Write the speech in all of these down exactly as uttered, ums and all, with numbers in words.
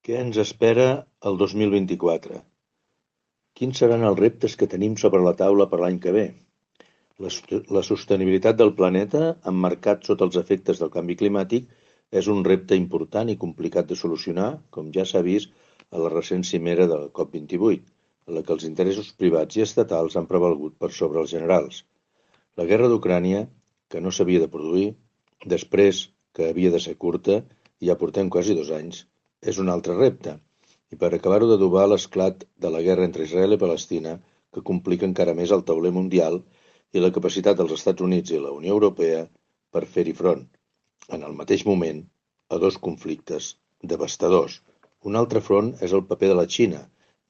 Què ens espera el dos mil vint-i-quatre? Quins seran els reptes que tenim sobre la taula per l'any que ve? La, la sostenibilitat del planeta, emmarcat sota els efectes del canvi climàtic, és un repte important i complicat de solucionar, com ja s'ha vist a la recent cimera de la COP vint-i-vuit, en la que els interessos privats i estatals han prevalgut per sobre els generals. La guerra d'Ucrània, que no s'havia de produir, després que havia de ser curta, i ja portem quasi dos anys, és un altre repte. I per acabar-ho d'adobar l'esclat de la guerra entre Israel i Palestina, que complica encara més el tauler mundial i la capacitat dels Estats Units i la Unió Europea per fer-hi front, en el mateix moment, a dos conflictes devastadors. Un altre front és el paper de la Xina,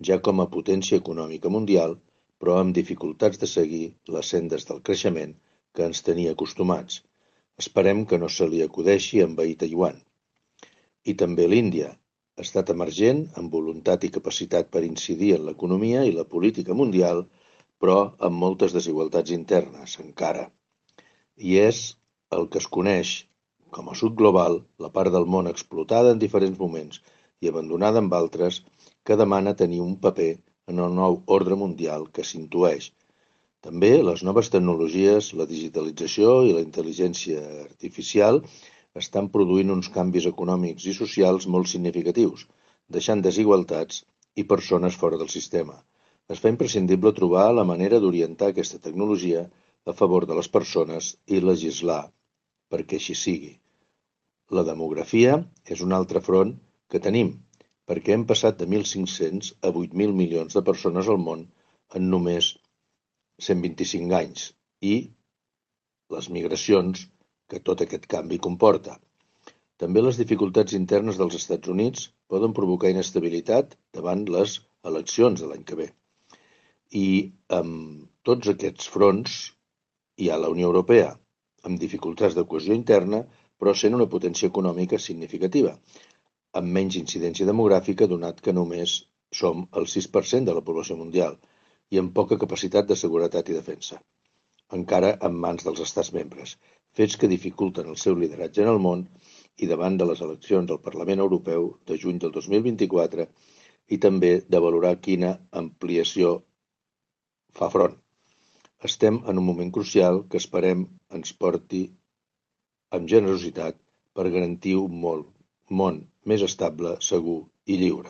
ja com a potència econòmica mundial, però amb dificultats de seguir les sendes del creixement que ens tenia acostumats. Esperem que no se li acudeixi envair Taiwan. I també l'Índia, estat emergent amb voluntat i capacitat per incidir en l'economia i la política mundial, però amb moltes desigualtats internes, encara. I és el que es coneix com a sud global, la part del món explotada en diferents moments i abandonada en altres, que demana tenir un paper en el nou ordre mundial que s'intueix. També les noves tecnologies, la digitalització i la intel·ligència artificial estan produint uns canvis econòmics i socials molt significatius, deixant desigualtats i persones fora del sistema. Es fa imprescindible trobar la manera d'orientar aquesta tecnologia a favor de les persones i legislar perquè així sigui. La demografia és un altre front que tenim, perquè hem passat de mil cinc-cents a vuit mil milions de persones al món en només cent vint-i-cinc anys i les migracions que tot aquest canvi comporta. També les dificultats internes dels Estats Units poden provocar inestabilitat davant les eleccions de l'any que ve. I amb tots aquests fronts hi ha la Unió Europea, amb dificultats de cohesió interna, però sent una potència econòmica significativa, amb menys incidència demogràfica donat que només som el sis per cent de la població mundial i amb poca capacitat de seguretat i defensa, encara en mans dels estats membres, fets que dificulten el seu lideratge en el món i davant de les eleccions del Parlament Europeu de juny del dos mil vint-i-quatre i també de valorar quina ampliació fa front. Estem en un moment crucial que esperem ens porti amb generositat per garantir un món més estable, segur i lliure.